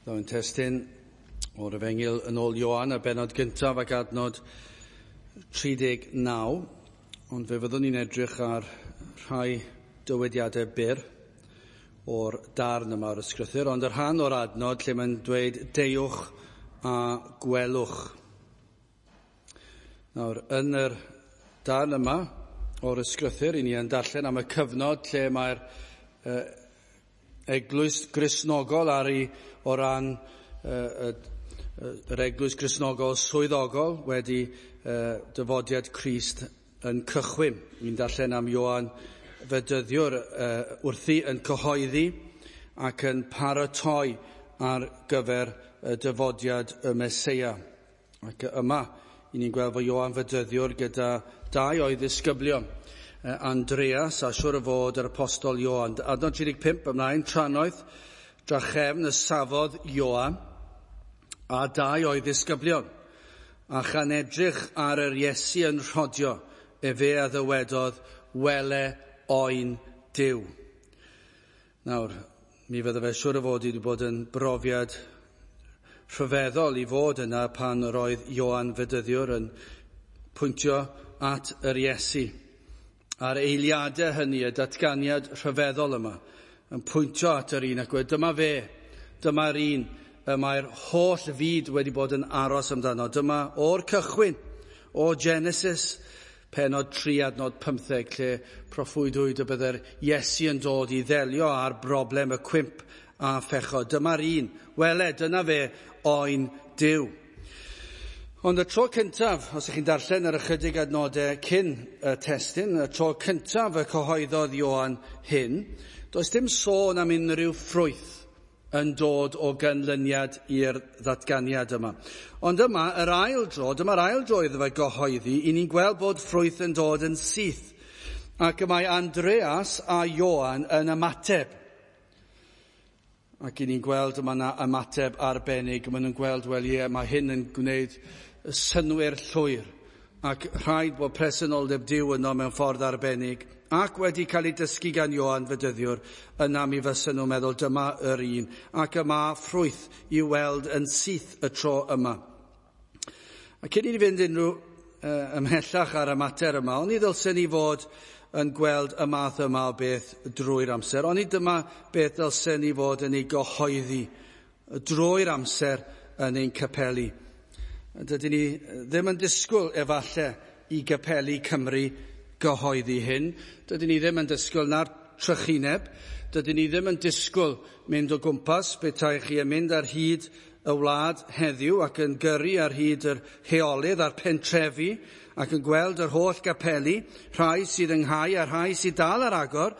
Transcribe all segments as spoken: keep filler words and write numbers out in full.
Dawn testun o'r Efengyl yn ôl Ioan, y bennod gyntaf ac adnod tri deg naw, ond fe fyddwn ni'n edrych ar rhai dywediadau byr o'r darn yma o'r ysgrythur, ond y rhan o'r adnod lle mae'n dweud deuwch a gwelwch. Nawr, yn yr darn yma o'r ysgrythur, i ni yn darllen am y cyfnod lle mae'r uh, eglwys Gristnogol ar ei o ran uh, yr eglwys Gristnogol swyddogol wedi uh, dyfodiad Crist yn cychwyn. Ni'n darllen am Ioan Fedyddiwr uh, wrthi yn cyhoeddi ac yn paratoi ar gyfer y dyfodiad y Meseia. Ac yma, i ni'n gweld fod Ioan Fedyddiwr gyda dau o'i ddisgyblion, Andreas a siwr o fod yr apostol Ioan. Adnod tri deg pump ymlaen, trannoeth drachefn y safodd Ioan a dau o'i ddisgyblion, a chan edrych ar yr Iesu yn rhodio, efe a ddywedodd, wele oen Duw. Nawr, mi fydde fe siwr o fod wedi bod yn brofiad rhyfeddol i fod yna pan roedd Ioan Fedyddiwr yn pwyntio at yr Iesu. A'r eiliadau hynny, y datganiad rhyfeddol yma, yn pwyntio at yr un ac wedi, dyma fe, dyma'r un y mae'r holl fyd wedi bod yn aros amdano. Dyma o'r cychwyn, o Genesis, pennod tri adnod pymtheg, lle proffwydwyd y bydde'r Iesu yn dod i ddelio â'r broblem y cwymp a phechod. Dyma'r un, wele, dyna fe, oen Duw. Ond y tro cyntaf, os ydych chi'n darllen yr ychydig adnodau cyn y testun, y tro cyntaf y cyhoeddodd Ioan hyn, does dim sôn am unrhyw ffrwyth yn dod o ganlyniad i'r ddatganiad yma. Ond yma, yr ail dro, dyma'r ail dro iddo fe gyhoeddi, i ni'n gweld bod ffrwyth yn dod yn syth. Ac y mae Andreas a Ioan yn ymateb. Ac i ni'n gweld yma yna ymateb arbennig. Maen nhw'n gweld, wel ie, mae hyn yn gwneud synnwyr llwyr. Ac rhaid bod presenoldeb Duw yno mewn ffordd arbennig. Ac wedi cael ei dysgu gan Ioan Fedyddiwr, yna mi fysen nhw'n meddwl dyma yr un. Ac y mae ffrwyth i'w weld yn syth y tro yma. A cyn i ni fynd unrhyw uh, ymhellach ar y mater yma, oni ddylsen ni fod yn gweld y math yma o beth drwy'r amser. Oni dyma beth ddylsen ni fod yn ei gyhoeddi drwy'r amser yn ein capeli. Dydyn ni ddim yn disgwyl efallai i gapeli Cymru gyhoeddi hyn. Dydyn ni ddim yn disgwyl na'r trychineb. Dydyn ni ddim yn disgwyl mynd o gwmpas petai chi yn mynd ar hyd y wlad heddiw ac yn gyrru ar hyd yr heolydd a'r pentrefi ac yn gweld yr holl gapeli, rhai sydd ynghau a rhai sydd dal ar agor.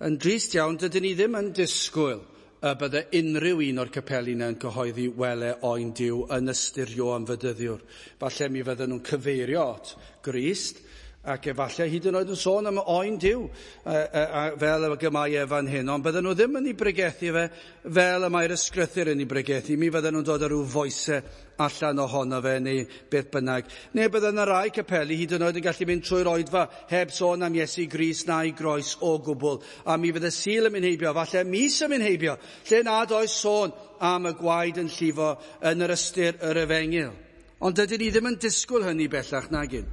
Yn drist iawn, dydyn ni ddim yn disgwyl y bydde unrhyw un o'r capeli yna yn cyhoeddi wele oen Duw yn ystyr Ioan Fedyddiwr. Falle mi fydden nhw'n cyfeirio at Grist, ac efallai hyd yn oed yn sôn am oen Duw, fel y mae e fan hyn, ond bydden nhw ddim yn ei bregethu fe fel y mae'r ysgrythur yn ei bregethu. Mi fydden nhw'n dod â rhyw foesau allan ohono fe neu beth bynnag. Neu bydden yna rai capeli hyd yn oed yn gallu mynd trwy'r oedfa heb sôn am Iesu Grist na'i groes o gwbl. A mi fydde Sul yn mynd heibio, falle mis yn mynd heibio, lle nad oes sôn am y gwaed yn llifo yn yr ystyr yr efengyl. Ond dydyn ni ddim yn disgwyl hynny bellach nagyn.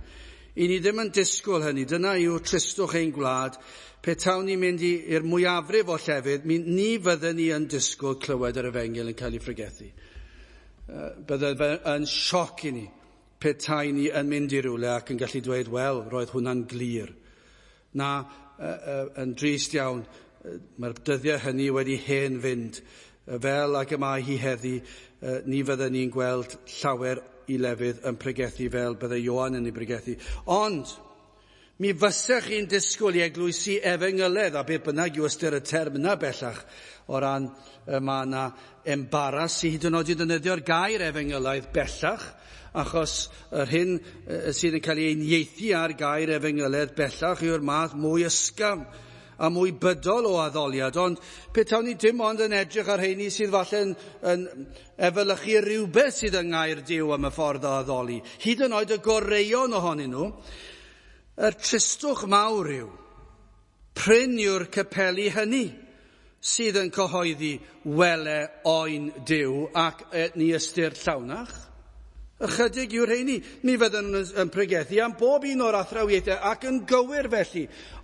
I ni ddim yn disgwyl hynny. Dyna yw tristwch ein gwlad. Petawn ni'n mynd i'r mwyafrif o llefydd, mi, ni fydden ni yn disgwyl clywed yr efengyl yn cael ei phregethu. Bydde fe yn sioc i ni petai ni yn mynd i rywle ac yn gallu dweud, wel, roedd hwnna'n glir. Na, yn drist iawn, mae'r dyddiau hynny wedi hen fynd. Fel ag y mae hi heddi, ni fydden ni'n gweld llawer i lefydd yn pregethu fel bydde Ioan yn ei pregethu. Ond, mi fysech chi'n disgwyl i eglwysi efengyledd, a beth bynnag yw ystyr y term yna bellach, o ran mae yna embaras i hyd yn oed i ddefnyddio'r gair efengylaidd bellach, achos yr hyn sydd yn cael ei unieithu ar gair efengyledd bellach yw'r math mwy ysgafn a mwy bydol o addoliad, ond petawn ni dim ond yn edrych ar rheini sydd falle yn, yn efelychu rhywbeth sydd yng ngair Duw am y ffordd o addoli, hyd yn oed y goreuon ohonyn nhw, yr tristwch mawr yw, prin yw'r capeli hynny sydd yn cyhoeddi wele oen Duw ac ni ystyr llawnach. Ychydig yw'r rheini. Mi fydden nhw'n yn pregethu am bob un o'r athrawiaethau ac yn gywir felly.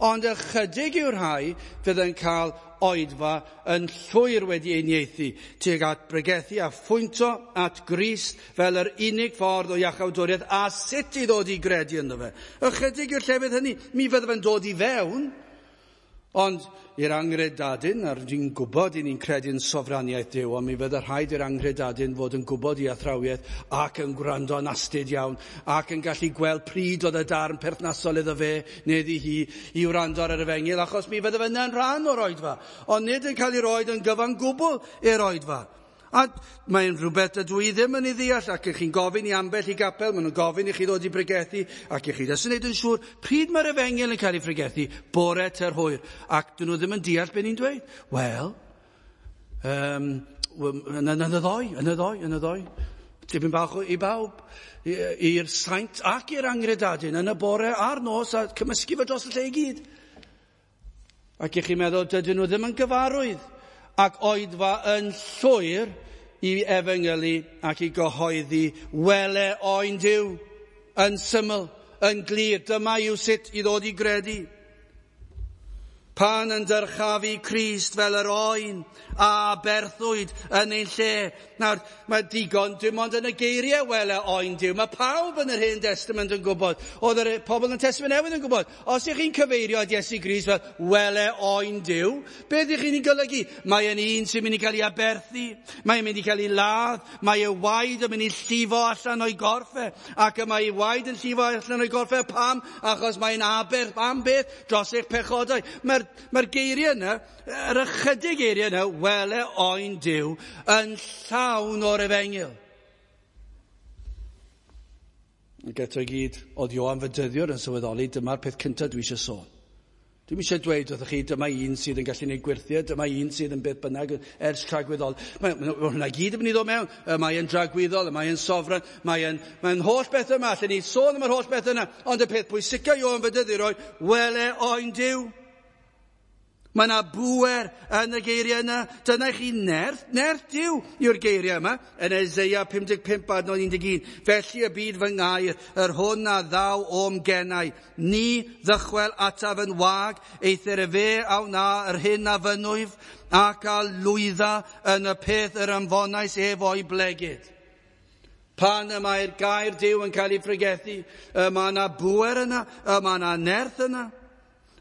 Ond ychydig yw'r rhai fydd yn cael oedfa yn llwyr wedi unieithu tuag at bregethu a phwynto at Grist fel yr unig ffordd o iachawdwriaeth a sut i ddod i gredu ynddo fe. Ychydig yw'r llefydd hynny. Mi fydde fe'n dod i fewn, ond i'r anghredadun, a dwi'n gwybod i ni'n credu'n sofraniaeth Duw, ond mi fydde rhaid i'r anghredadun fod yn gwybod i athrawiaeth ac yn gwrando yn astud iawn ac yn gallu gweld pryd oedd y darn perthnasol iddo fe neu iddi hi i wrando ar yr efengyl, achos mi fydde fe yna'n rhan o'r oedfa, ond nid yn cael ei roed yn gyfan gwbl i'r oedfa. A mae'n rhywbeth ydw i ddim yn ei ddeall, ac ych chi'n gofyn i ambell i gapel, maen nhw'n gofyn i chi ddod i bregethu, ac ych chi jyst yn neud yn siŵr pryd mae'r efengyl yn cael ei pregethu, bore ter hwyr, ac dyn nhw ddim yn deall beth ni'n dweud. Wel, um, yn, yn, yn y ddoi, yn y ddoi, yn y ddoi. Tipyn bach i bawb, i'r saint ac i'r anghredadun, yn y bore a'r nos, a cymysgu fe dros y lle i gyd. Ac ych chi'n meddwl, dydyn nhw ddim yn gyfarwydd ac oedfa yn llwyr i efengylu ac i gyhoeddi wele oen Duw, yn syml, yn glir. Dyma yw sut i ddod i gredu. Pan yn dyrchafu Crist fel yr oen a berthwyd yn ein lle. Nawr, mae digon dim ond yn y geiriau wele oen Duw. Mae pawb yn yr Hen Testament yn gwybod. Oedd yr pobl yn Testament Newydd yn gwybod. Os ych chi'n cyfeirio at Iesu Grist fel wele oen Duw, beth ych chi'n ei golygu? Mae yn un sy'n mynd i cael ei aberthu, mae'n mynd i cael ei ladd, mae ei waed yn mynd i llifo allan o'i gorff e, ac y mae ei waed yn llifo allan o'i gorff e. Pam? Achos mae'n aberth. Am beth? Dros eich pechodau. Mae'r Mae'r geiriau yna, yr ychydig geiriau yna, wele oen Duw, yn llawn o'r efengyl. Ac eto i gyd, oedd Ioan Fedyddiwr yn sylweddoli, dyma'r peth cyntaf dwi eisiau sôn. Dwi'm eisiau dweud wrthych chi, dyma un sydd yn gallu gwneud gwyrthiau, dyma un sydd yn beth bynnag ers tragwyddol. Mae, mae hwnna gyd yn mynd i ddod mewn. Mae yn dragwyddol, mae yn sofran, mae yn, mae yn holl beth yma. Allen ni sôn am yr holl beth yna. Ond y peth pwysica Ioan Fedyddiwr oedd, wele oen Duw. Mae yna bŵer yn y geiriau yna. Dyna i chi nerth, nerth Duw yw'r geiriau yma. Yn Eseia pum deg pump adnod un deg un. Felly y byd fy ngair, yr hwn a ddaw o'm genau. Ni ddychwel ataf yn wag, eithr y fe a wna yr hyn a fynwyf, ac a lwydda yn y peth yr ymfonais ef o'i blegid. Pan y mae'r gair Duw yn cael ei pregethu, y mae yna bŵer yna, y mae yna nerth yna.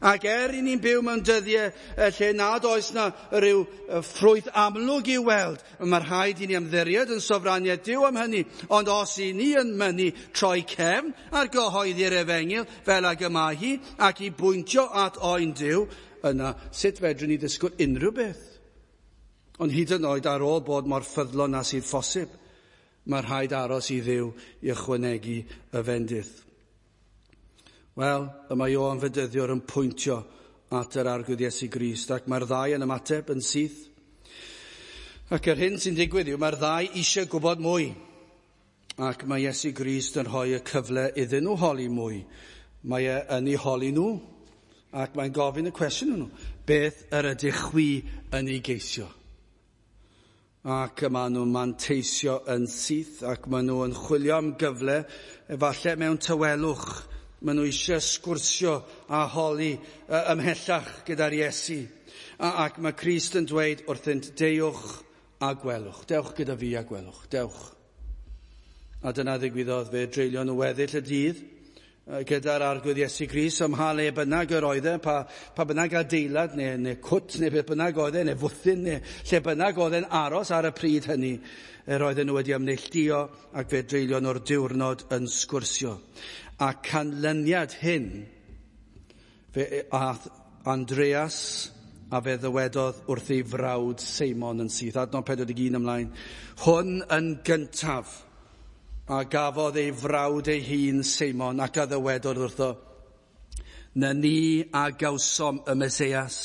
Ac er i ni'n byw mewn dyddiau lle nad oes na rhyw ffrwyth amlwg i'w weld, mae rhaid i ni ymddiried yn sofraniaeth Duw am hynny. Ond os i ni yn mynnu troi cefn ar gyhoeddi'r efengyl fel ag y mae hi, ac i bwyntio at oen Duw, yna sut fedrwn ni ddisgwyl unrhyw beth? Ond hyd yn oed ar ôl bod mor ffyddlon â sydd phosib, mae rhaid aros i Dduw i ychwanegu y fendith. Wel, y mae Ioan Fedyddiwr yn pwyntio at yr Arglwydd Iesu Grist, ac mae'r ddau yn ymateb yn syth. Ac yr hyn sy'n digwydd yw, mae'r ddau eisiau gwybod mwy. Ac mae Iesu Grist yn rhoi y cyfle iddyn nhw holi mwy. Mae e yn eu holi nhw, ac mae'n gofyn y cwestiwn nhw. Beth yr ydych chwi yn ei geisio? Ac maen nhw'n manteisio yn syth, ac maen nhw yn chwilio am gyfle, efallai mewn tawelwch. Maen nhw eisiau sgwrsio a holi ymhellach gyda'r Iesu. A, ac mae Crist yn dweud wrthynt, deuwch a gwelwch. Dewch gyda fi a gwelwch. Dewch. A dyna ddigwyddodd, fe dreulio nhw weddill y dydd gyda'r Arglwydd Iesu Grist, ym mha le bynnag yr oedd e, pa, pa bynnag adeilad neu, neu cwt neu beth bynnag oedd e, neu fwthyn neu lle bynnag oedd e'n aros ar y pryd hynny, yr oedden nhw wedi ymneilltuo ac fe dreulio nhw'r diwrnod yn sgwrsio. A canlyniad hyn, fe ath Andreas a fe ddywedodd wrth ei frawd Seimon yn syth, adnod pedwar deg un ymlaen, hwn yn gyntaf a gafodd ei frawd ei hun Seimon ac a ddywedodd wrtho, na ni a gawsom y Mesias,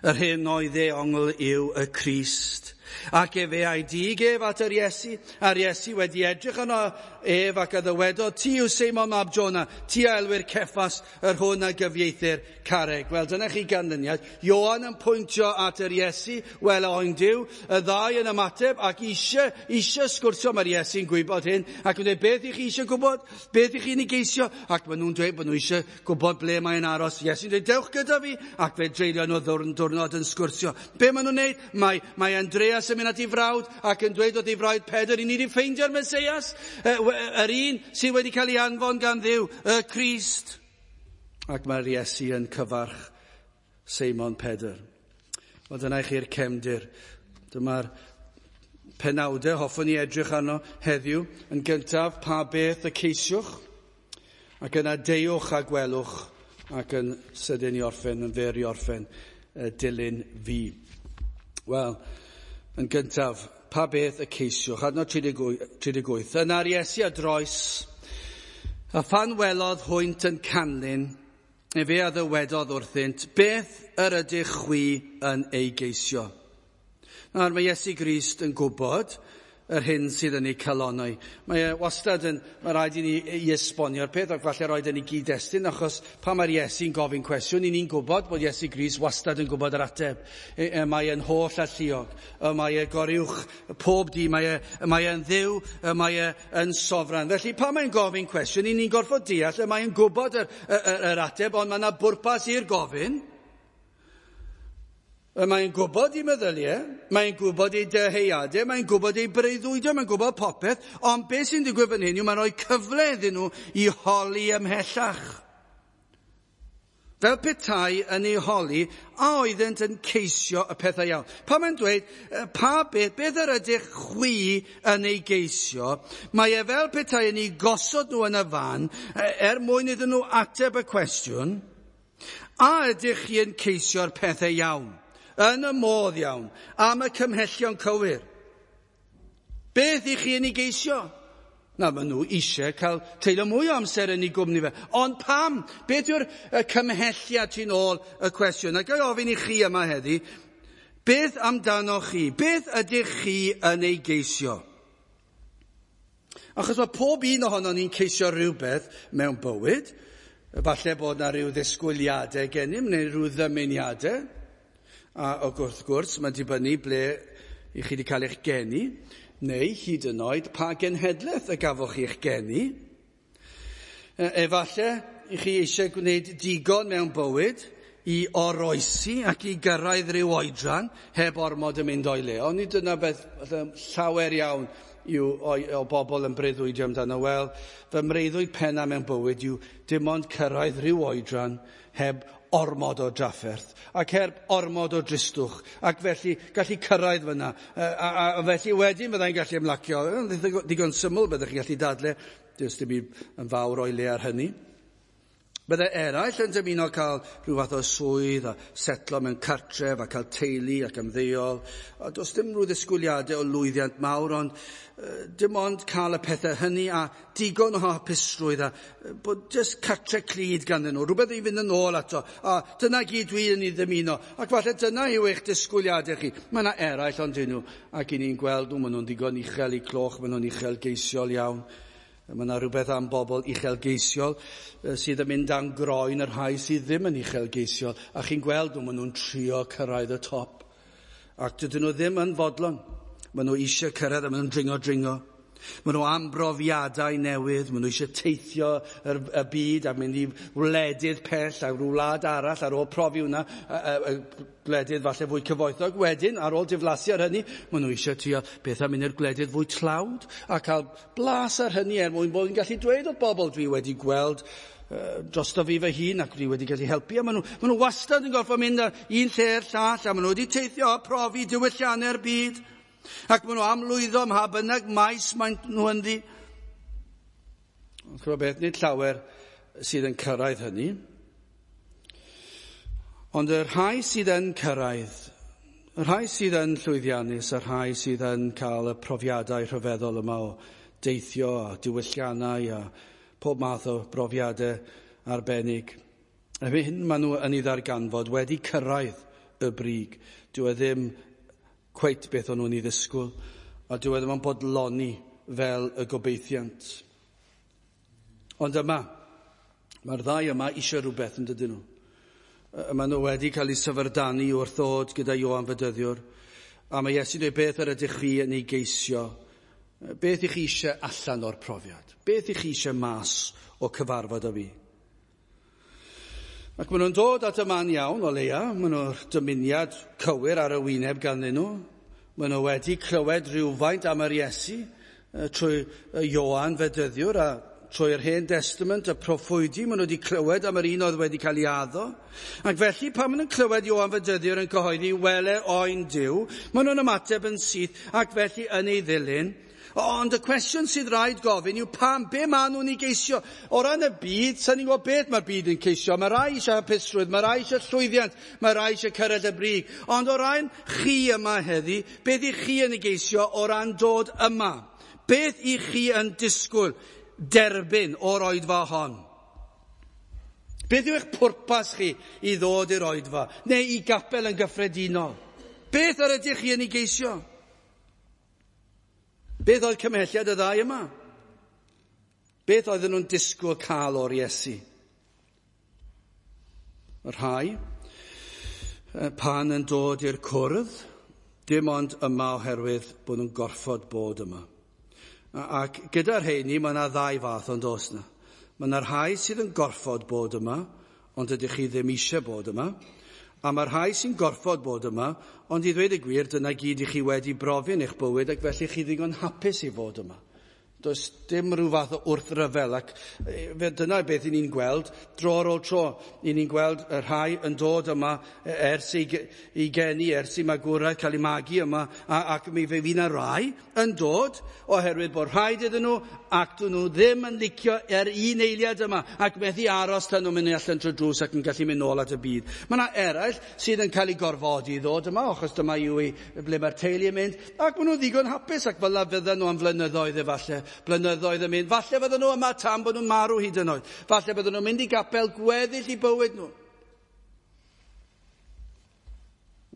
yr hyn oedd ei ongl yw y Crist. Ac efe a'i dig ef at yr Iesu, a'r Iesu wedi edrych arno ef ac a ddywedodd, ti yw Seimon mab Jona, ti a elwir Ceffas, yr hwn a gyfieithir carreg. Wel, dyna chi ganlyniad. Ioan yn pwyntio at yr Iesu, wel oen Duw, y ddau yn ymateb ac eisiau, eisiau sgwrsio, mae'r Iesu'n gwybod hyn, ac yn dweud, beth i chi eisiau gwybod? Beth i chi'n ei geisio? Ac maen nhw'n dweud bod nhw eisiau gwybod ble mae'n aros. Iesu'n dweud, dewch gyda fi, ac fe dreulio nhw ddiwrnod yn sgwrsio. Be maen nhw'n neud? Mae, mae Andreas yn mynd at ei frawd ac yn dweud wrth ei frawd Pedr, i ni wedi ffeindio'r Mesias, yr un sydd wedi cael ei anfon gan Dduw, y Crist. Ac mae'r Iesu yn cyfarch Seimon Pedr. Wel, dyna i chi'r cefndir. Dyma'r penawdau hoffwn i edrych arno heddiw. Yn gyntaf, pa beth y ceisiwch, ac yna deuwch a gwelwch, ac yn sydyn i orffen, yn fyr i orffen, dilyn fi. Wel, yn gyntaf, pa beth y ceisiwch? Adnod tri deg wyth. Yna'r Iesu a droes, a phan welodd hwynt yn canlyn, efe a ddywedodd wrthynt, beth yr ydych chwi yn ei geisio? Nawr, mae Iesu Grist yn gwybod yr hyn sydd yn ei calonnau. Mae e wastad yn, mae rhaid i ni i esbonio'r peth, ac falle rhaid i ni gyd-destun, achos pan mae'r Iesu'n gofyn cwestiwn, i ni'n gwybod bod Iesu Grist wastad yn gwybod yr ateb. E, e, mae e'n holl alluog, e, mae e goruwch pob di, mae e, mae e'n ddiw, e, mae e yn sofran. Felly pan mae'n gofyn cwestiwn, i ni'n gorfod deall, e, mae e'n gwybod yr, yr, yr ateb, ond mae yna bwrpas i'r gofyn. Mae'n gwybod ei meddyliau, mae'n gwybod ei dyheadau, mae'n gwybod ei breuddwydion, mae'n gwybod popeth, ond beth sy'n digwydd fan hyn yw mae'n rhoi cyfle iddyn nhw i holi ymhellach. Fel petai yn ei holi, a oeddent yn ceisio y pethau iawn. Pan mae'n dweud, pa beth, beth yr ydych chwi yn ei geisio, mae e fel petai yn ei gosod nhw yn y fan, er mwyn iddyn nhw ateb y cwestiwn, a ydych chi yn ceisio'r pethau iawn? Yn y modd iawn, am y cymhellion cywir. Beth i chi yn ei geisio? Na, maen nhw eisiau cael treulio mwy o amser yn ei gwmni fe. Ond pam? Beth yw'r cymhelliad tu ôl y cwestiwn? A ga i ofyn i chi yma heddi, beth amdanoch chi? Beth ydych chi yn ei geisio? Achos mae pob un ohonon ni'n ceisio rhywbeth mewn bywyd. Falle bod na rhyw ddisgwyliadau gennym, neu rhyw ddymuniadau. A wrth gwrs, mae'n dibynnu ble i chi wedi cael eich geni, neu hyd yn oed pa genhedlaeth y gafoch chi eich geni. Efallai i chi eisiau gwneud digon mewn bywyd i oroesi ac i gyrraedd rhyw oedran heb ormod yn mynd o'i le. Ond nid dyna beth llawer iawn yw o, o bobl yn breuddwydio amdano. Wel, fy mreuddwyd penna mewn bywyd yw dim ond cyrraedd rhyw oedran heb ormod o drafferth, ac heb ormod o dristwch, ac felly gallu cyrraedd fyna. A, a, a felly wedyn byddai'n gallu ymlacio. Digon syml byddech chi'n gallu dadle, does dim byd yn fawr o'i le ar hynny. Byddai eraill yn dymuno cael rhyw fath o swydd a setlo mewn cartref a cael teulu ac ymddeol. A does dim rhyw ddisgwyliadau o lwyddiant mawr, ond dim ond cael y pethau hynny a digon o hapusrwydd a bod jyst cartre clyd ganddyn nhw, rhywbeth i fynd yn ôl ato. A dyna gyd dwi yn ei ddymuno. Ac falle dyna yw eich disgwyliadau chi. Mae yna eraill ond dyn nhw, ac i ni'n gweld nhw, maen nhw'n ddigon uchel i cloch, maen nhw'n uchelgeisiol iawn. Mae yna rhywbeth am bobl uchelgeisiol sydd yn mynd am groen y rhai sydd ddim yn uchelgeisiol. A chi'n gweld nhw, maen nhw'n trio cyrraedd y top. Ac dydyn nhw ddim yn fodlon. Maen nhw eisiau cyrraedd a maen nhw'n dringo dringo. Maen nhw am brofiadau newydd, maen nhw eisiau teithio yr, y byd a mynd i wledydd pell a rhyw wlad arall ar ôl profi hwnna, gwledydd falle fwy cyfoethog. Wedyn, ar ôl diflasu ar hynny, maen nhw eisiau trio beth am mynd i'r gwledydd fwy tlawd a cael blas ar hynny er mwyn bod yn gallu dweud wrth bobl dwi wedi gweld drosto fi fy hun ac dwi wedi gallu helpu. A maen nhw, maen nhw wastad yn gorfod mynd ar un lle i'r llall a maen nhw wedi teithio a profi diwylliannau'r byd. Ac maen nhw am lwyddo ym mha bynnag maes maen nhw ynddi. Ond ch'mod beth, nid llawer sydd yn cyrraedd hynny. Ond y rhai sydd yn cyrraedd, y rhai sydd yn llwyddiannus, y rhai sydd yn cael y profiadau rhyfeddol yma o deithio a diwylliannau a pob math o brofiadau arbennig. A hyn maen nhw yn ei ddarganfod wedi cyrraedd y brig. Dyw e ddim cweit beth o'n nhw'n ei ddisgwyl, a dyw e ddim yn bodloni fel y gobeithiant. Ond yma, mae'r ddau yma eisiau rhywbeth yn dydyn nhw. Maen nhw wedi cael eu syfrdanu wrth ddod gyda Ioan Fedyddiwr, a mae Iesu'n dweud, beth yr ydych chi yn ei geisio? Beth ych chi eisiau allan o'r profiad? Beth ych chi eisiau mas o cyfarfod â fi? Ac maen nhw'n dod at y man iawn o leia, maen nhw'r dymuniad cywir ar y wyneb ganddyn nhw. Maen nhw wedi clywed rhywfaint am yr Iesu trwy Ioan Fedyddiwr a trwy'r Hen Testament, y proffwydi, maen nhw wedi clywed am yr un oedd wedi cael ei addo. Ac felly, pan maen nhw'n clywed Ioan Fedyddiwr yn cyhoeddi, wele oen Duw, maen nhw'n ymateb yn syth ac felly yn ei ddilyn. Ond y cwestiwn sydd rhaid gofyn yw pam, be maen nhw'n ei geisio? O ran y byd, sa'n ni'n gwybod beth mae'r byd yn ceisio. Mae rai eisiau hapusrwydd, mae rai eisiau llwyddiant, mae rai eisiau cyrraedd y brig. Ond o ran chi yma heddi, beth i chi yn ei geisio o ran dod yma? Beth i chi yn disgwyl derbyn o'r oedfa hon? Beth yw eich pwrpas chi i ddod i'r oedfa, neu i gapel yn gyffredinol? Beth yr ydych chi yn ei geisio? Beth oedd cymhelliad y ddau yma? Beth oedden nhw'n disgwyl cael o'r Iesu? Y rhai, pan yn dod i'r cwrdd, dim ond yma oherwydd bod nhw'n gorfod bod yma. Ac gyda'r rheini, mae yna ddau fath ond oes yna. Mae yna rhai sydd yn gorfod bod yma, ond ydych chi ddim eisiau bod yma. A mae rhai sy'n gorfod bod yma, ond i ddweud y gwir, dyna gyd i chi wedi brofi yn eich bywyd, ac felly chi ddigon hapus i fod yma. Does dim rhyw fath o wrthryfel, ac dyna beth i ni'n gweld dro ar ôl tro. I ni'n gweld y rhai yn dod yma ers i, i geni, ers i magwraeth, cael ei magu yma, a, ac mi fe fydd yna rai yn dod oherwydd bod rhaid iddyn nhw, ac dyn nhw ddim yn licio er un eiliad yma, ac methu aros tan nhw'n mynd allan trwy drws ac yn gallu mynd nôl at y byd. Mae yna eraill sydd yn cael eu gorfodi i ddod yma, achos dyma yw i ble mae'r teulu yn mynd, ac maen nhw'n ddigon hapus, ac fel fydden nhw am flynyddoedd efallai. Blynyddoedd yn mynd. Falle fydden nhw yma tan bod nhw'n marw hyd yn oed. Falle bydden nhw'n mynd i gapel gweddill i bywyd nhw.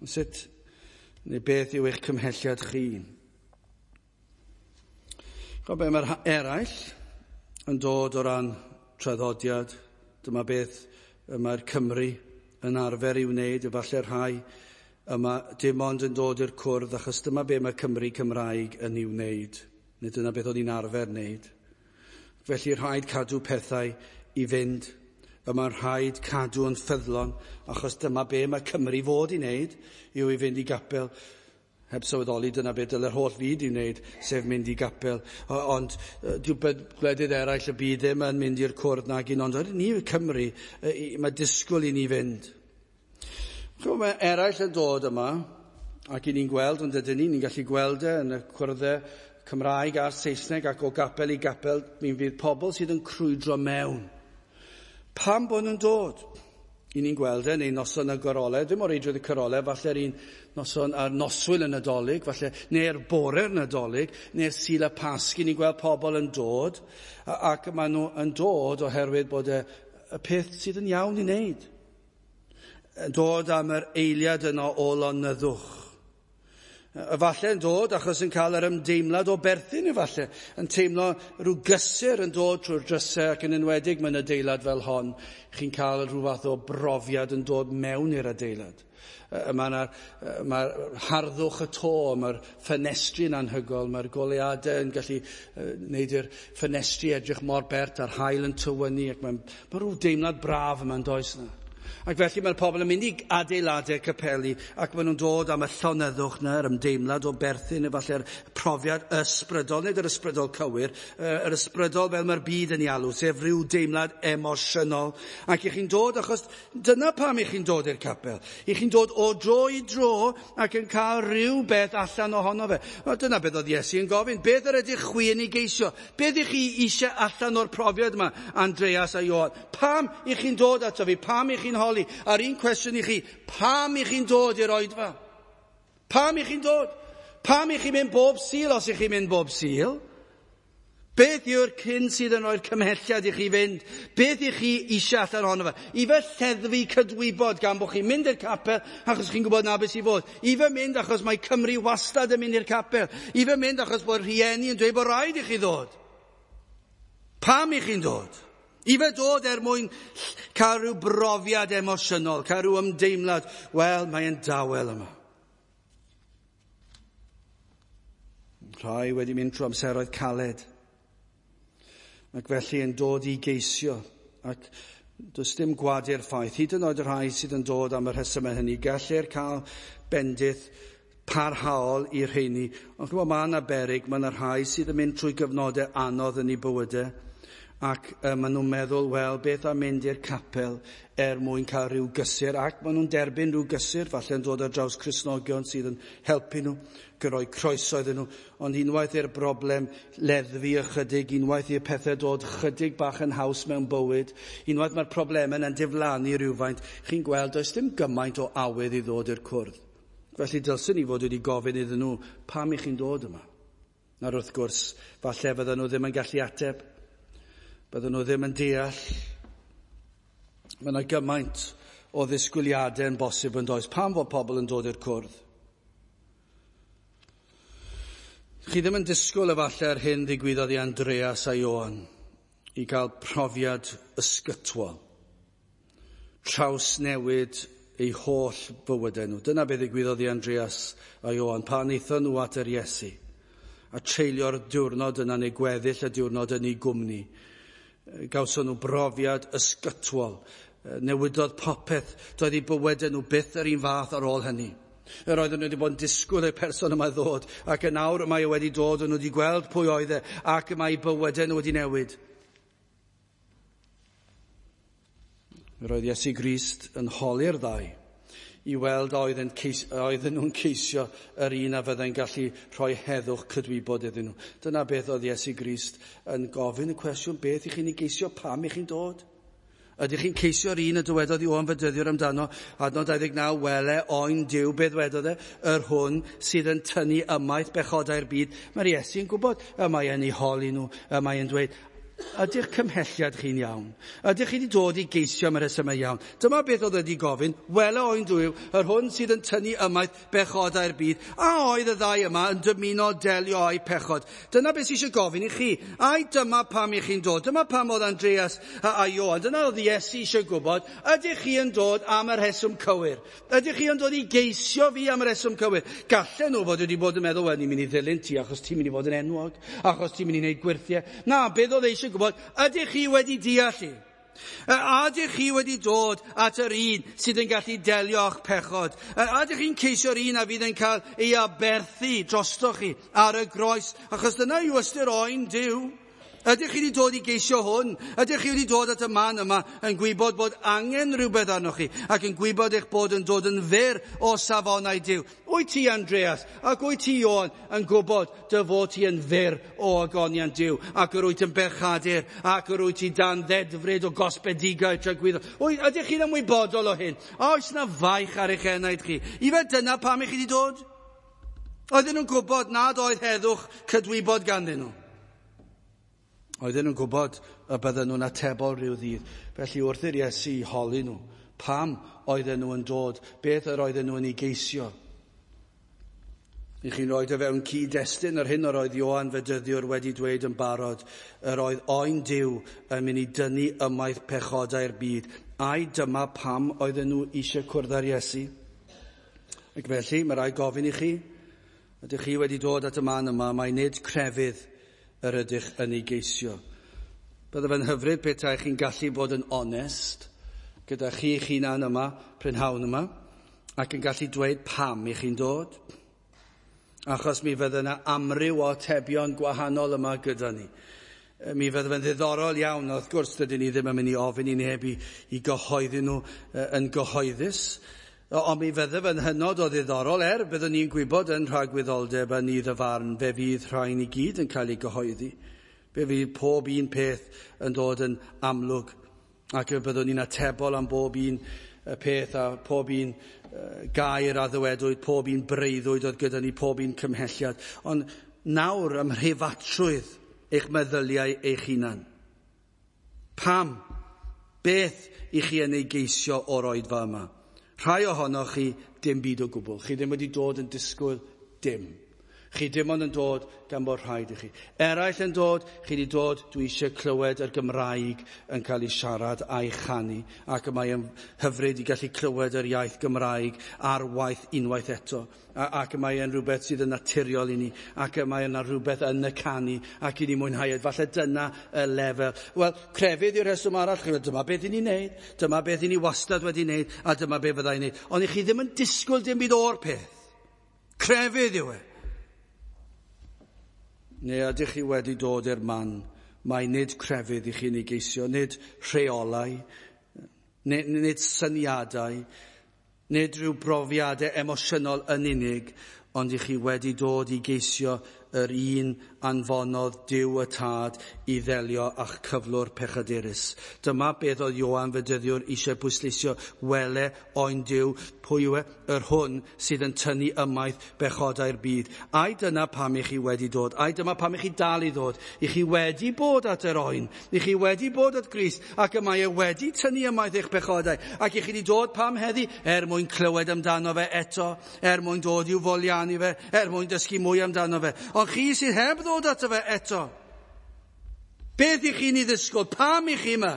Sut neu beth yw eich cymhelliad chi? Chwa be, mae'r eraill yn dod o ran traddodiad. Dyma beth mae'r Cymru yn arfer i wneud. Efallai'r rhai yma dim ond yn dod i'r cwrdd, achos dyma be mae Cymru Cymraeg yn ei wneud. Neu dyna beth o'n i'n arfer wneud. Felly rhaid cadw pethau i fynd. Y mae'n rhaid cadw yn ffyddlon, achos dyma be mae Cymru fod i wneud, yw i fynd i gapel. Heb sylweddoli, dyna be dyle'r holl fyd i wneud, sef mynd i gapel. Ond dyw gwledydd eraill y byd ddim yn mynd i'r cwrdd nag un, ond ni Cymru, mae disgwyl i ni fynd. Mae eraill yn dod yma, ac i ni'n gweld, ond ydyn ni, ni'n gallu gweld e yn y cwrddau Cymraeg a'r Saesneg ac o gapel i gapel, mi fydd pobl sydd yn crwydro mewn. Pam bod nhw'n dod? I ni'n gweld e, neu noson y gorolau, ddim o reidrwydd y corolau, falle'r un noson ar noswyl y Nadolig, falle, neu'r bore'r Nadolig, neu'r Sul y Pasg, i ni'n gweld pobl yn dod, ac maen nhw yn dod oherwydd bod y, y peth sydd yn iawn i wneud. Yn dod am yr eiliad yno o lonyddwch. Efallai yn dod achos yn cael yr ymdeimlad o berthyn efallai, yn teimlo rhyw gysur yn dod trwy'r drysau, ac yn enwedig mewn adeilad fel hon, chi'n cael rhyw fath o brofiad yn dod mewn i'r adeilad. Mae'r mae harddwch y to, mae'r ffenestri yn anhygoel, mae'r goleuadau yn gallu wneud i'r ffenestri edrych mor bert a'r haul yn tywynnu, ac mae'n mae rhyw deimlad braf yma'n does yna. Ac felly mae'r pobl yn mynd i adeiladau capeli ac maen nhw'n dod am y llonyddwch yna, yr ymdeimlad o berthyn, efallai'r profiad ysbrydol, nid yr ysbrydol cywir, yr ysbrydol fel mae'r byd yn ei alw, sef rhyw deimlad emosiynol. Ac i chi'n dod, achos dyna pam i chi'n dod i'r capel. I chi'n dod o dro i dro ac yn cael rhyw beth allan ohono fe. Wel, dyna beth oedd Iesu yn gofyn. Beth yr ydych chwi yn ei geisio? Beth ych chi eisiau allan o'r profiad yma, Andreas a Ioan? Pam i chi'n dod ato fi? Pam i chi'n holi? A'r un cwestiwn i chi, pam i chi'n dod i'r oedfa? Pam i chi'n dod? Pam i chi'n mynd bob Sul os i chi'n mynd bob Sul? Beth yw'r cyn sydd yn rhoi'r cymhelliad i chi fynd? Beth i chi eisiau allan ohono fe? Ife lleddfu cydwybod gan bod chi'n mynd i'r capel achos chi'n gwybod na beth sy'n fod? Ife mynd achos mae Cymru wastad yn mynd i'r capel? Ife mynd achos bod rhieni yn dweud bod rhaid i chi ddod? Pam i chi'n dod? Ife dod er mwyn cael rhyw brofiad emosiynol, cael rhyw ymdeimlad, wel, mae'n dawel yma. Rhai wedi mynd trwy amseroedd caled, ac felly yn dod i geisio, ac does dim gwadu'r ffaith, hyd yn oed y rhai sydd yn dod am y rhesymau hynny, gellir cael bendith parhaol i'r rheini. Ond chymod, mae yna beryg, mae yna rhai sydd yn mynd trwy gyfnodau anodd yn eu bywydau, ac uh, maen nhw'n meddwl, wel, beth am mynd i'r capel er mwyn cael rhyw gysur, ac maen nhw'n derbyn rhyw gysur, falle yn dod ar draws Cristnogion sydd yn helpu nhw, rhoi croeso iddyn nhw, ond unwaith i'r broblem leddfu ychydig, unwaith i'r pethau dod chydig bach yn haws mewn bywyd, unwaith mae'r problemau yna'n diflannu rhywfaint, chi'n gweld does dim gymaint o awydd i ddod i'r cwrdd. Felly dylswn ni fod wedi gofyn iddyn nhw, pam i chi'n dod yma? Nawr wrth gwrs, falle fydden nhw ddim yn gallu ateb, bydden nhw ddim yn deall. Mae yna gymaint o ddisgwyliadau yn bosib yn does. Pam fod pobl yn dod i'r cwrdd? Chi ddim yn disgwyl efallai yr hyn ddigwyddodd i Andreas a Ioan i gael profiad ysgytwol, trawsnewid eu holl bywydau nhw. Dyna beth ddigwyddodd i Andreas a Ioan pan aethon nhw at yr Iesu a treulio'r diwrnod yna neu gweddill y diwrnod yn ei gwmni. Gawson nhw brofiad ysgytwol, newidodd popeth, doedd eu bywydau nhw byth yr un fath ar ôl hynny. Yr oedden nhw wedi bod yn disgwyl i'r person yma ddod, ac yn awr mae e wedi dod, nhw wedi gweld pwy oedd e, ac mae eu bywydau nhw wedi newid. Yr oedd Iesu Grist yn holi'r ddau i weld oedd yn ceis, oedden nhw'n ceisio yr un a fyddai'n gallu rhoi heddwch cydwybod iddyn nhw. Dyna beth oedd Iesu Grist yn gofyn y cwestiwn, beth i chi'n ei geisio, pam i chi'n dod? Ydych chi'n ceisio'r un y dywedodd Ioan Fedyddiwr amdano, adnod dau ddeg naw, wele oen Duw, beth dwedodd e? Yr hwn sydd yn tynnu ymaith bechodau'r byd. Mae'r Iesu'n gwybod, y mae e'n ei holi nhw, y mae e'n dweud, ydy'ch cymhelliad chi'n iawn? Ydych chi wedi dod i geisio am y rhesymau iawn? Dyma beth oedd wedi gofyn, wele oen Duw, yr hwn sydd yn tynnu ymaith bechodau'r byd. A oedd y ddau yma yn dymuno delio â'u pechod? Dyna beth sydd eisiau gofyn i chi. Ai dyma pam i chi'n dod? Dyma pam oedd Andreas a, a Ioan. Dyna oedd Iesu eisiau gwybod. Ydych chi yn dod am y rheswm cywir? Ydych chi yn dod i geisio fi am y rheswm cywir? Gallen nhw fod wedi bod yn meddwl, wel, ni'n mynd i ddilyn ti achos ti'n mynd i fod yn enwog, achos ti'n mynd i wneud gwyrthiau. Na, beth oedd eisiau gwybod, ydych chi wedi deall i? A ydych chi wedi dod at yr un sydd yn gallu delio â'ch pechod? A ydych chi'n ceisio'r un a fydd yn cael ei aberthu drostoch chi ar y groes? Achos dyna yw ystyr oen Duw. Ydych chi wedi dod i geisio hwn? Ydych chi wedi dod at y man yma yn gwybod bod angen rhywbeth arnoch chi ac yn gwybod eich bod yn dod yn fyr o safonau Duw? Wyt ti, Andreas, ac wyt ti, Ioan, yn gwybod dy fod ti yn fyr o ogoniant Duw ac yr wyt yn bechadur ac yr wyt ti dan ddedfryd o gosbedigaeth tragwyddol? Ydych chi'n ymwybodol o hyn? Oes na faich ar eich enaid chi? Ife dyna pam i chi wedi dod? Oedden nhw'n gwybod nad oedd heddwch cydwybod ganddyn nhw. Oedden nhw'n gwybod y bydden nhw'n atebol rhyw ddydd. Felly wrth i'r Iesu holi nhw, pam oedden nhw yn dod, beth yr oedden nhw yn ei geisio? I chi'n rhoi o fewn cyd-destun yr hyn yr oedd Ioan Fedyddiwr wedi dweud yn barod, yr oedd oen Duw yn mynd i dynnu ymaith pechodau'r byd. Ai dyma pam oedden nhw eisiau cwrdd â'r Iesu? Ac felly, mae rhaid gofyn i chi, ydych chi wedi dod at y man yma, mae nid crefydd yr ydych yn ei geisio. Bydde fe'n hyfryd petai chi'n gallu bod yn onest gyda chi'ch hunan yma, prynhawn yma, ac yn gallu dweud pam i chi'n dod. Achos mi fydde yna amryw o atebion gwahanol yma gyda ni. Mi fydde fe'n ddiddorol iawn, wrth gwrs dydyn ni ddim yn mynd i ofyn i neb i, i gyhoeddi nhw yn gyhoeddus, ond mi fydde fe'n hynod o ddiddorol, er byddwn ni'n gwybod yn rhagwyddoldeb a nydd y farn, fe fydd rhain i gyd yn cael ei gyhoeddi. Fe fydd pob un peth yn dod yn amlwg, ac y byddwn ni'n atebol am bob un peth a pob un gair a ddywedwyd, pob un breuddwyd oedd gyda ni, pob un cymhelliad. Ond nawr ym mhreifatrwydd eich meddyliau eich hunan. Pam? Beth i chi yn ei geisio o'r oedfa yma? Rhai ohonoch chi dim byd o gwbl. Chi ddim wedi dod yn disgwyl dim. Chi dim ond yn dod gan bod rhaid i chi. Eraill yn dod, chi wedi dod, dwi eisiau clywed yr Gymraeg yn cael ei siarad a'i chanu, ac mae yn hyfryd i gallu clywed yr iaith Gymraeg ar waith unwaith eto. A, ac mae yn rhywbeth sydd yn naturiol i ni, ac mae yna rhywbeth yn y canu, ac i ni mwynhau. Falle dyna y lefel. Wel, crefydd yw'r rheswm arall. Chi, dyma beth i ni'n neud, dyma beth i ni wastad wedi neud, a dyma beth fyddai'n neud. Ond i chi ddim yn disgwyl dim byd o'r peth. Crefydd yw e. Neu ydych chi wedi dod i'r man, mae nid crefydd i chi'n ei geisio, nid rheolau, nid, nid syniadau, nid rhyw brofiadau emosiynol yn unig, ond i chi wedi dod i geisio yr un anfonodd Duw y Tad i ddelio â'ch cyflwr pechadurus. Dyma beth oedd Ioan Fedyddiwr eisiau pwysleisio, wele oen Duw, pwy yw e? Yr hwn sydd yn tynnu ymaith bechodau'r byd. Ai dyna pam i chi wedi dod? Ai dyma pam i chi dal i ddod? I chi wedi bod at yr oen, i chi wedi bod at Grist, ac y mae e wedi tynnu ymaith eich pechodau, ac i chi wedi dod pam heddi? Er mwyn clywed amdano fe eto, er mwyn dod i'w foliannu fe, er mwyn dysgu mwy amdano fe. Ond chi sydd heb ddod ato fe eto, beth i chi'n ei ddisgwyl? Pam i chi yma?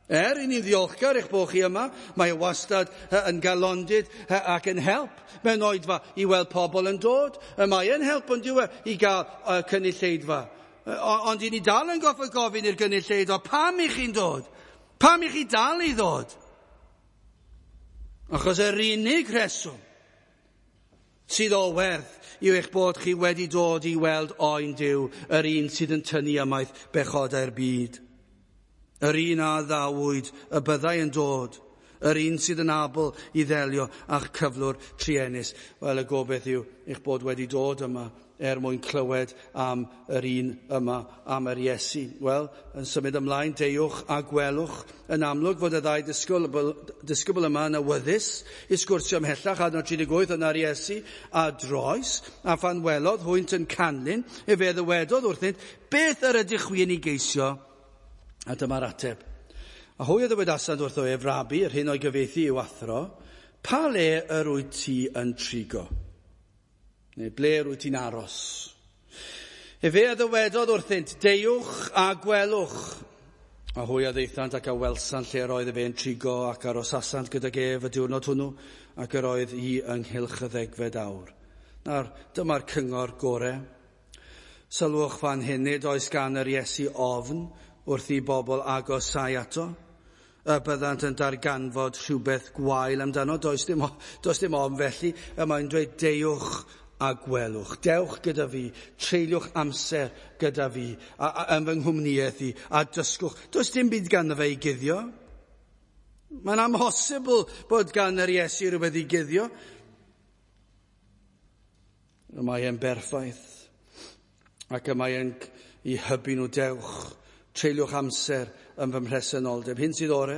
Er i ni'n ddiolchgar eich bod chi yma, mae wastad yn galondid ac yn help mewn oedfa i weld pobl yn dod. Mae yn help yn diwe i gael cynulleidfa. Ond i ni dal yn goffod gofyn i'r gynulleidfa, pam i chi'n dod? Pam i chi dal i ddod? Achos yr unig rheswm sydd o werth yw eich bod chi wedi dod i weld oen Duw, yr un sydd yn tynnu ymaith bechodau'r byd. Yr un a ddawyd y byddai yn dod, yr un sydd yn abl i ddelio â'ch cyflwr truenus. Wel, y gobaith yw eich bod wedi dod yma er mwyn clywed am yr un yma, am yr Iesu. Wel, yn symud ymlaen, deuwch a gwelwch. Yn amlwg fod y ddau disgybl, disgybl yma yn awyddus i sgwrsio ymhellach, adnod tri deg wyth, yna'r Iesu a droes, a phan welodd hwynt yn canlyn, efe ddywedodd wrthynt, beth yr ydych chwi yn ei geisio? A dyma'r ateb. A hwy a ddywedasant wrtho ef, Rabi, yr hyn o'i gyfieithu i'w athro, pa le yr wyt ti yn trigo? Neu ble yr wyt ti'n aros? Efe a ddywedodd wrthynt, deuwch a gwelwch. A hwy a ddaethant ac a welsant lle yr oedd efe yn trigo, ac arosasant gydag ef y diwrnod hwnnw, ac yr oedd hi ynghylch y ddegfed awr. Nawr, dyma'r cyngor gore. Sylwch fan hyn, nid oes gan yr Iesu ofn wrth i bobl agosau ato, y byddant yn darganfod rhywbeth gwael amdano. Does dim, does dim ofn felly, y mae'n dweud deuwch a gwelwch. Dewch gyda fi, treuliwch amser gyda fi, a, a, yn fy nghwmnïaeth i, a dysgwch. Does dim byd ganddo fe i guddio. Mae'n amhosibl bod gan yr Iesu rhywbeth i guddio. Y mae e'n berffaith, ac y mae e'n i hybu nhw, dewch, treuliwch amser yn fy mhresenoldeb. Hyn sydd ore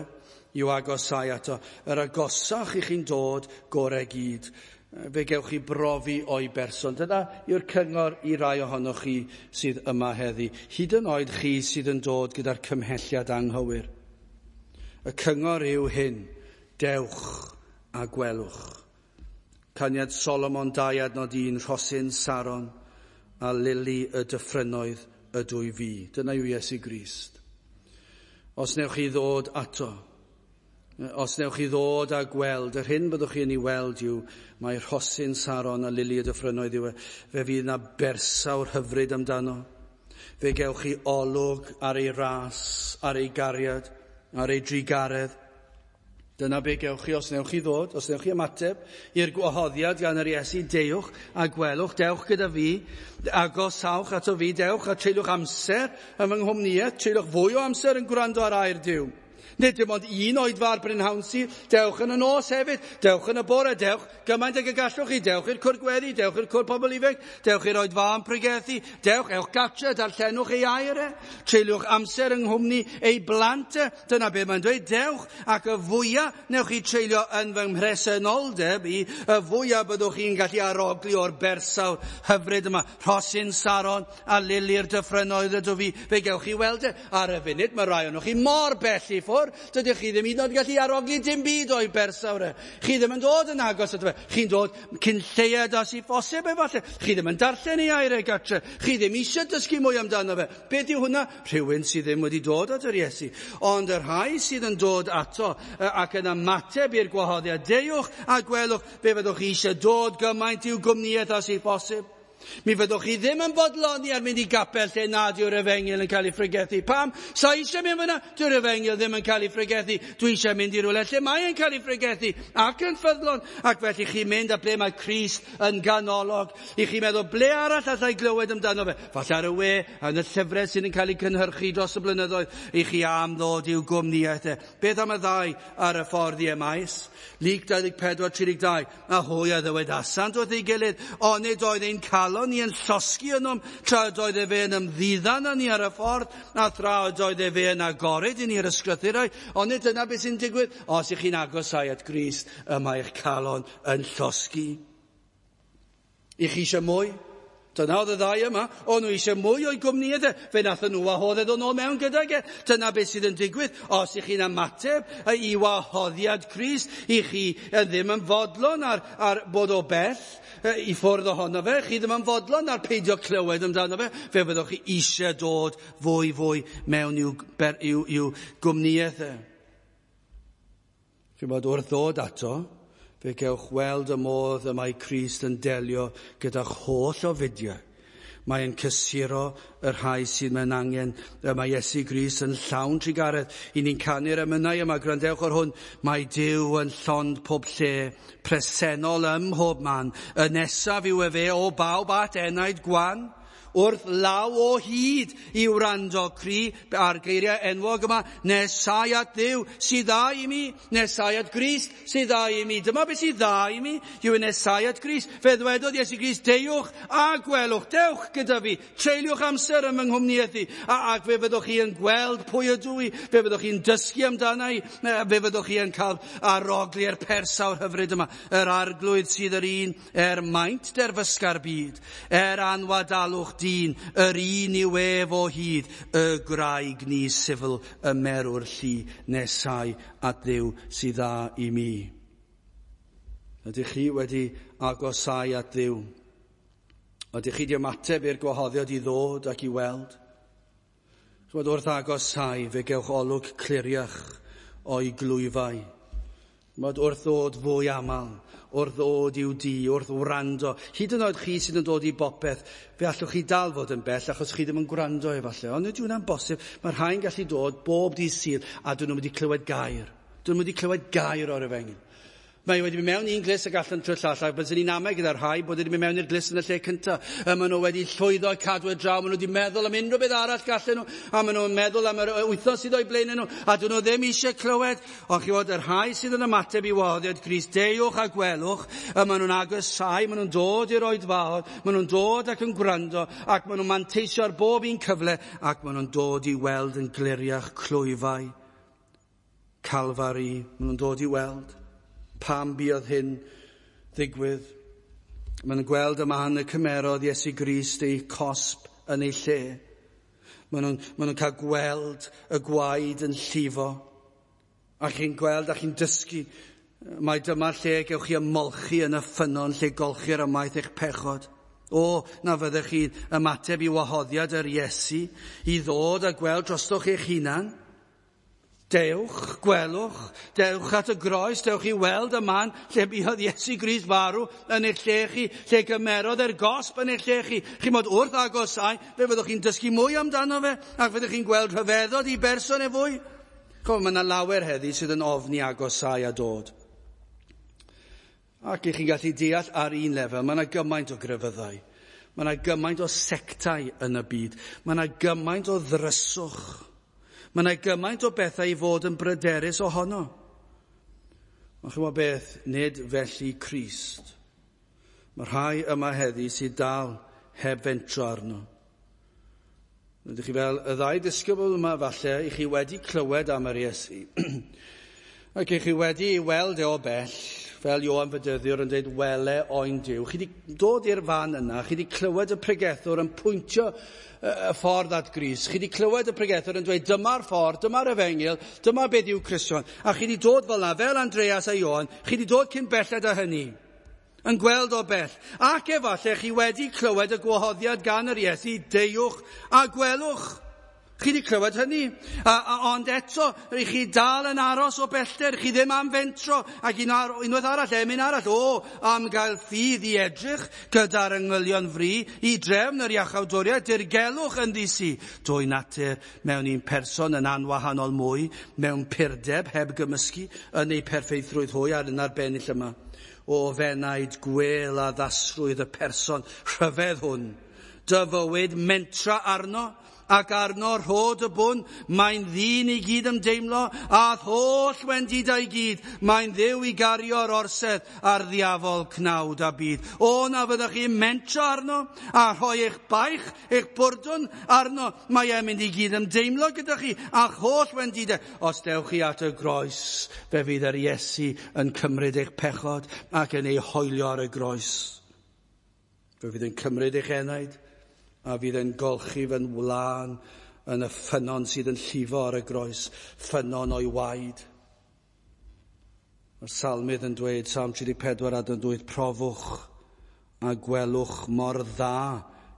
yw agosau ato. Yr agosach i chi'n dod, gorau gyd. Fe gewch chi brofi o'i berson. Dyna yw'r cyngor i rai ohonoch chi sydd yma heddi. Hyd yn oed chi sydd yn dod gyda'r cymhelliad anghywir. Y cyngor yw hyn, dewch a gwelwch. Caniad Solomon dau adnod un, rhosyn Saron a lili y dyffrynnoedd y dwy fi. Dyna yw Iesu Grist. Os newch chi ddod ato, os newch chi ddod a gweld, yr hyn byddwch chi yn ei weld yw mae rhosyn Saron a lili y dyffrynnoedd yw e. Fe fydd yna bersawr hyfryd amdano. Fe gewch chi olwg ar ei ras, ar ei gariad, ar ei drugaredd. Dyna be gewch chi os newch chi ddod, os newch chi ymateb i'r gwahoddiad gan yr Iesu, deuwch a gwelwch, dewch gyda fi, agosawch ato fi, dewch a treuliwch amser yn fy nghwmnïaeth, treuliwch fwy o amser yn gwrando ar air Duw. Nid dim ond un oedfa ar brynhawn Sul, dewch yn y nos hefyd, dewch yn y bore, dewch gymaint ag y gallwch chi, dewch i'r cwr gweddi, dewch i'r cwr pobl ifanc, dewch i'r oedfa am pregethu, dewch, ewch gatre, darllenwch ei air e, treuliwch amser yng nghwmni ei blant e, dyna be mae'n dweud, dewch, ac y fwyaf newch chi treulio yn fy mhresenoldeb i, y fwyaf byddwch chi'n gallu arogli o'r bersawr hyfryd yma, rhosyn Saron a lili'r dyffrynnoedd ydw fi, fe gewch chi weld e. Ar y funud, mae rai ohonoch chi mor bell i ffwrdd, dydych chi ddim hyd yn oed yn gallu arogli dim byd o'i bersawr e. Chi ddim yn dod yn agos ato fe. Chi'n dod cyn lleied â sydd bosib efallai. Chi ddim yn darllen ei air e gatre. Chi ddim eisiau dysgu mwy amdano fe. Beth yw hwnna? Rhywun sydd ddim wedi dod at yr Iesu. Ond y rhai sydd yn dod ato ac yn ymateb i'r gwahoddiad, deuwch a gwelwch, fe fyddwch chi eisiau dod gymaint i'w gwmnïaeth â sydd bosib. Mi fyddwch chi ddim yn bodloni ar mynd i gapel lle nad yw'r efengyl yn cael ei phregethu. Pam? Sa eisiau mynd fyna? Dyw'r efengyl ddim yn cael ei phregethu. Dwi eisiau mynd i rywle lle mae yn cael ei phregethu ac yn ffyddlon. Ac felly chi'n mynd a ble mae Crist yn ganolog. I chi meddwl, ble arall allai glywed amdano fe? Falle ar y we, yn y llyfrau sydd yn cael ei cynhyrchu dros y blynyddoedd, i chi am ddod i'w gwmnïaeth e. Beth am y ddau ar y ffordd i Emaus? Luc dau ddeg pedwar tri deg dau. A hwy a ddywedasant wrth ei gilydd, onid oedd ein calon ni yn llosgi ynom, tra oedd efe yn ymddiddan â ni ar y ffordd, a thra oedd efe yn agored i ni'r ysgrythurau. Ond nid dyna beth sy'n digwydd. Os ych chi'n agosau at Grist, y mae eich calon yn llosgi. I chi eisiau mwy? Dyna oedd y ddau yma. O'n nhw eisiau mwy o'i gwmnïaeth e. Fe nathon nhw wahodd ddod nôl mewn gydag e. Dyna beth sydd yn digwydd. Os ych chi'n ymateb i wahoddiad Crist, i chi ddim yn fodlon ar, ar bod o bell i ffwrdd ohono fe, chi ddim yn fodlon ar peidio clywed amdano fe, fe fyddwch chi eisiau dod fwy fwy mewn i'w, i'w, i'w gwmnïaeth e. Chi'n bod wrth ddod ato, fe gewch weld y modd y mae Crist yn delio gyda'ch holl ofidiau. Mae'n cysuro y rhai sydd mewn angen. Y mae Iesu Grist yn llawn trugaredd. I ni'n canu'r emynau yma, gwrandewch ar hwn. Mae Duw yn llond pob lle, presennol ym mhob man. Y nesaf yw efe o bawb at enaid gwan. Wrth law o hyd i wrando cri a'r geiriau enwog yma, nesau at Dduw sydd dda i mi, nesau at Grist sydd dda i mi. Dyma beth sydd dda i mi, yw nesau at Grist. Fe ddwedodd Iesu Grist, deuwch a gwelwch, dewch gyda fi, treuliwch amser yn fy nghwmnïaeth i, a, ac fe fyddwch chi yn gweld pwy ydw i, fe fyddwch chi'n dysgu amdana i, fe fyddwch chi yn cael arogli'r persawr hyfryd yma, yr arglwydd sydd yr un er maint derfysga'r byd, er anwadalwch dyn, yr un yw ef o hyd, y graig ni sifl y merw'r llu nesau at Dduw sydd dda i mi. Ydych chi wedi agosau at Dduw? Ydych chi wedi ymateb i'r gwahoddiad i ddod ac i weld? Ch'mod, wrth agosau fe gewch olwg cliriach o'i glwyfau. Ch'mod, wrth ddod fwy aml, wrth ddod i'w dŷ, wrth wrando. Hyd yn oed chi sydd yn dod i bopeth, fe allwch chi dal fod yn bell achos chi ddim yn gwrando efallai. Ond nid yw hwnna'n bosib. Mae rhai'n gallu dod bob dydd Sul a dyn nhw'n wedi clywed gair. Dyn nhw'n wedi clywed gair o'r efengyl. Mae wedi mynd mewn un glust ac allan trwy'r llall, ac byddwn ni'n amau gyda'r rhai bod wedi mynd mewn i'r glust yn y lle cyntaf. Maen nhw wedi llwyddo cadw y draw, maen nhw wedi meddwl am unrhyw beth arall gallen nhw, a maen nhw'n meddwl am yr wythnos sydd o'i blaen nhw, a dyn nhw ddim eisiau clywed. Ond chi fod, y rhai sydd yn ymateb i wahoddiad Crist, deuwch a gwelwch, maen nhw'n agosau, maen nhw'n dod i'r oedfaon, maen nhw'n dod ac yn gwrando, ac maen nhw'n manteisio ar bob un cyfle, ac maen nhw'n dod i weld yn gliriach clwyfau Calfari, maen nhw'n dod i weld. Pam buodd hyn ddigwydd? Maen nhw'n gweld y man y cymerodd Iesu Grist ei cosb yn ei lle. Maen nhw'n, maen nhw'n cael gweld y gwaed yn llifo. A chi'n gweld a chi'n dysgu mai dyma lle gewch chi ymolchi yn y ffynnon lle golchi'r ymaith eich pechod. O, na fyddech chi'n ymateb i wahoddiad yr Iesu i ddod a gweld drostoch eich hunan. Dewch, gwelwch, dewch at y groes, dewch i weld y man lle buodd Iesu Grist farw yn eich lle chi, lle gymerodd e'r gosb yn eich lle chi. Chi'n bod wrth agosau, fe fyddwch chi'n dysgu mwy amdano fe, ac fyddwch chi'n gweld rhyfeddod i berson e fwy. Ch'mod, mae yna lawer heddi sydd yn ofni agosau a dod. Ac i chi'n gallu deall ar un lefel, mae yna gymaint o grefyddau, mae yna gymaint o sectau yn y byd, mae yna gymaint o ddryswch. Mae yna gymaint o bethau i fod yn bryderus ohono. Ond chymod beth, nid felly Crist. Mae rhai yma heddi sydd dal heb fentro arno. Ydych chi fel y ddau ddisgybl yma falle, i chi wedi clywed am yr Iesu. Ac i chi wedi ei weld e o bell, fel Ioan Fedyddiwr yn dweud, wele oen Duw. Chi wedi dod i'r fan yna, chi wedi clywed y pregethwr yn pwyntio y ffordd at Grist. Chi wedi clywed y pregethwr yn dweud, dyma'r ffordd, dyma'r efengyl, dyma beth yw Cristion. A chi wedi dod fel yna, fel Andreas a Ioan, chi wedi dod cyn belled â hynny, yn gweld o bell. Ac efallai chi wedi clywed y gwahoddiad gan yr Iesu, deuwch a gwelwch. Chi wedi clywed hynny. A, a, ond eto, rych chi dal yn aros o bellter, chi ddim am fentro, ac un ar, unwaith arall, emyn arall, o, am gael ffydd i edrych gyda'r angylion fri, i drefn yr iachawdwriaeth, dirgelwch yn ddisi. Dwy natur mewn un person yn anwahanol mwy, mewn purdeb heb gymysgu, yn ei perffeithrwydd hwy ar yn arbennig yma. O fenaid gwel a ddasrwydd y person rhyfedd hwn. Dy fywyd mentra arno, ac arno rhod y bwn, mae'n ddyn i gyd ymdeimlo, a holl wendidau i gyd, mae'n ddiw i gario'r orsedd a'r ddiafol cnawd a byd. O, na fyddwch chi'n mentro arno, a rhoi eich baich, eich bwrdwn arno, mae e'n mynd i gyd ymdeimlo gyda chi, a'ch holl wendidau. Os dewch chi at y groes, fe fydd yr Iesu yn cymryd eich pechod ac yn ei hoelio ar y groes. Fe fydd yn cymryd eich enaid, a fydd yn golchi fy'n wlân yn y ffynnon sydd yn llifo ar y groes, ffynnon o'i waed. Mae'r salmydd yn dweud, Salm tri deg pedwar adnod wyth, profwch a gwelwch mor dda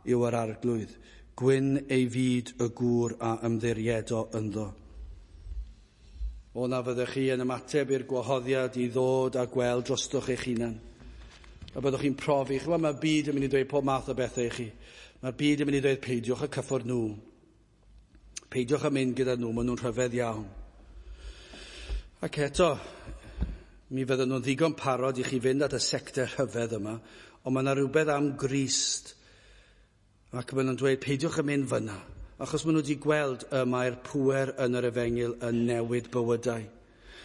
yw yr arglwydd, gwyn ei fyd y gŵr a ymddiriedo ynddo. O na fyddech chi yn ymateb i'r gwahoddiad i ddod a gweld drostoch eich hunan. A byddwch chi'n profi, chymod, mae'r byd yn mynd i dweud pob math o bethau i chi. Mae'r byd yn mynd i ddweud peidiwch a cyffwrdd nhw. Peidiwch a mynd gyda nhw, maen nhw'n rhyfedd iawn. Ac eto, mi fydden nhw'n ddigon parod i chi fynd at y sector rhyfedd yma, ond mae yna rhywbeth am Grist. Ac maen nhw'n dweud peidiwch a mynd fyna, achos maen nhw wedi gweld y mae'r pŵer yn yr efengyl yn newid bywydau.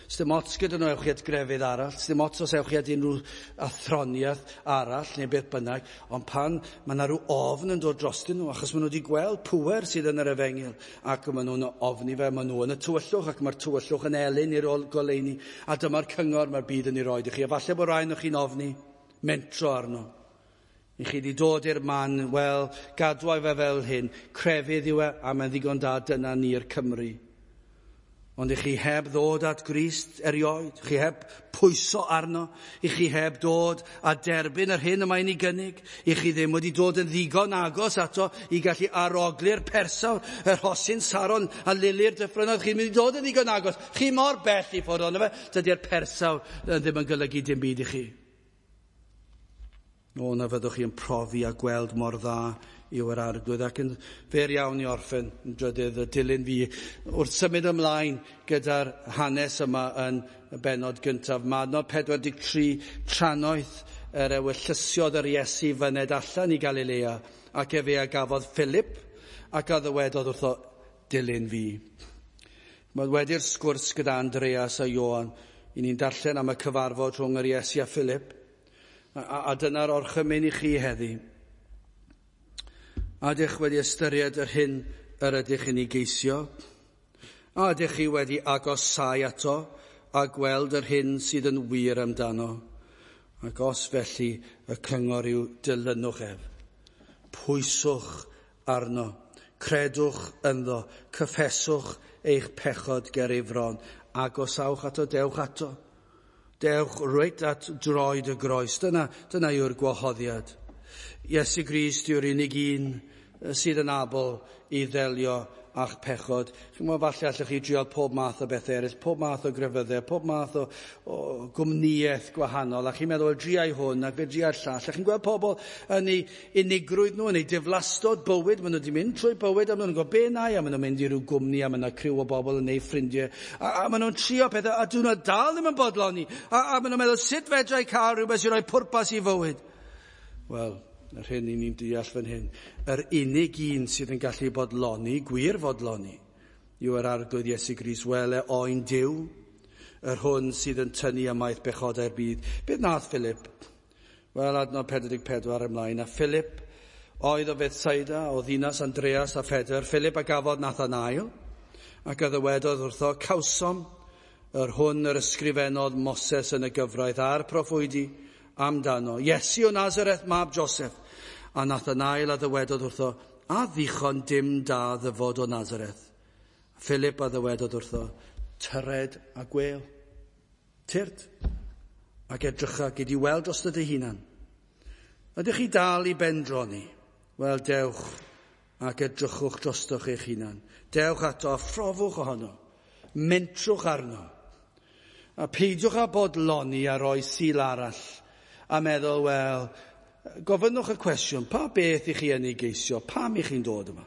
Sdim ots gyda nhw ewch chi at grefydd arall, sdim ots os ewch chi at unrhyw athroniaeth arall neu beth bynnag, ond pan mae yna rhyw ofn yn dod drostyn nhw, achos maen nhw wedi gweld pŵer sydd yn yr efengyl, ac maen nhw'n ofni fe, maen nhw yn y tywyllwch, ac mae'r tywyllwch yn elyn i'r goleuni, a dyma'r cyngor mae'r byd yn ei roed i chi. A falle bod rhaid o'ch chi'n ofni, mentro arno. I chi wedi dod i'r man, wel, gadwai fe fel hyn, crefydd yw e, a mae'n ddigon da, dyna ni'r Cymru. Ond i chi heb ddod at Grist erioed, chi heb pwyso arno, i chi heb dod a derbyn yr hyn y mae'n ei gynnig, i chi ddim wedi dod yn ddigon agos ato i gallu arogli'r persawr, yr rhosyn Saron a lili'r dyffrynnoedd, chi'n mynd i dod yn ddigon agos, chi mor bell i ffwrdd ono fe, dydy'r persawr ddim yn golygu dim byd i chi. O, na fyddwch chi yn profi a gweld mor dda yw yr arglwydd, ac yn fer iawn i orffen yn drydydd y dilyn fi wrth symud ymlaen gyda'r hanes yma yn y bennod gyntaf. Mae adnod pedwar deg tri, trannoeth yr ewyllysiodd yr Iesu fyned allan i Galilea, ac efe a gafodd Philip ac a ddywedodd wrtho, dilyn fi. Mae wedi'r sgwrs gyda Andreas a Ioan, i ni'n darllen am y cyfarfod rhwng yr Iesu a Philip, a, a, a dyna'r orchymyn i chi heddi. A ydych wedi ystyried yr hyn yr ydych yn ei geisio? A ydych chi wedi agosau ato a gweld yr hyn sydd yn wir amdano? Ac os felly, y cyngor yw dilynwch ef. Pwyswch arno, credwch ynddo, cyffeswch eich pechod ger ei fron. Agosawch ato, dewch ato. Dewch reit at droed y groes. Dyna, dyna yw'r gwahoddiad. Iesu Grist yw'r unig un sydd yn abl i ddelio â'ch pechod. Chi'n gwybod, falle allwch chi drio pob math o bethau eraill, pob math o grefyddau, pob math o, o gwmnïaeth gwahanol, a chi'n meddwl, driai hwn ac fe driai'r llall. A chi'n gweld pobl yn eu unigrwydd nhw, yn eu diflastod bywyd, maen nhw wedi mynd trwy bywyd, a maen nhw'n gwybod be na i, a maen nhw'n mynd i ryw gwmni, a maen nhw'n criw o bobl yn eu ffrindiau, a, a maen nhw'n trio pethau, a dyn nhw dal ddim yn bodloni, a, a maen nhw'n meddwl, sut fedra i cael rhywbeth sy'n rhoi pwrpas i fywyd? Wel, yr hyn i ni'n deall fan hyn, yr unig un sydd yn gallu bodloni, gwir fodloni, yw yr Arglwydd Iesu Grist, wele oen Duw, yr hwn sydd yn tynnu ymaith bechodau'r byd. Beth nath Philip? Wel, adnod pedwar deg pedwar ymlaen. A Philip oedd o Bethsaida, o ddinas Andreas a Phedr. Philip a gafodd Nathanael, ac a ddywedodd wrtho, cawsom yr hwn yr ysgrifennodd Moses yn y gyfraith a'r proffwydi amdano, Iesu o Nazareth, mab Joseph. A Nathanael a ddywedodd wrtho, a ddichon dim da ddyfod o Nazareth. Philip a ddywedodd wrtho, tyred a gwel, tyrd, ac edrycha, gyd i weld dros dy hunan. Ydych chi dal i bendroni? Wel, dewch ac edrychwch drostoch eich hunan. Dewch ato a phrofwch ohono. Mentrwch arno. A peidiwch â bodloni a roi Sul arall a meddwl, wel, gofynnwch y cwestiwn, pa beth i chi yn ei geisio? Pam i chi'n dod yma?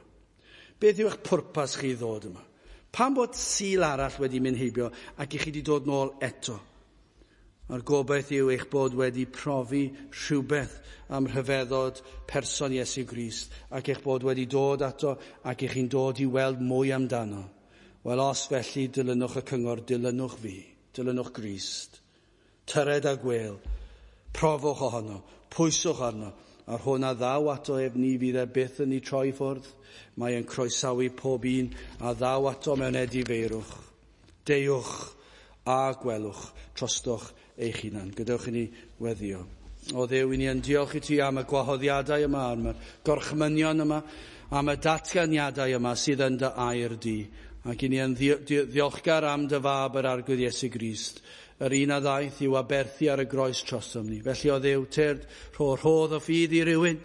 Beth yw eich pwrpas chi ddod yma? Pam bod Sul arall wedi mynd heibio ac i chi wedi dod nôl eto? A'r gobaith yw eich bod wedi profi rhywbeth am rhyfeddod person Iesu Grist ac eich bod wedi dod ato ac eich chi'n dod i weld mwy amdano. Wel, os felly, dilynwch y cyngor, dilynwch fi, dilynwch Grist. Tyred a gwel, profwch ohono, pwyswch arno, a'r hwn a ddaw ato ef ni fydd e byth yn ei troi ffwrdd. Mae e'n croesawu pob un a ddaw ato mewn edifeirwch. Deuwch a gwelwch trostoch eich hunan. Gadewch i ni weddio. O Dduw, i ni yn diolch i ti am y gwahoddiadau yma, am y gorchmynion yma, am y datganiadau yma sydd yn dy air di. Ac i ni yn ddiolchgar am dy fab yr Arglwydd Iesu Grist, yr un a ddaeth i'w aberthu ar y groes trosom ni. Felly o Dduw, tyrd, rho rhodd o ffydd i rywun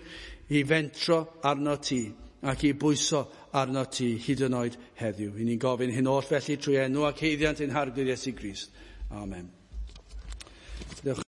i fentro arno ti ac i bwyso arno ti hyd yn oed heddiw. I ni'n gofyn hyn oll felly trwy enw ac haeddiant ein Harglwydd Iesu Grist. Amen. Diolch.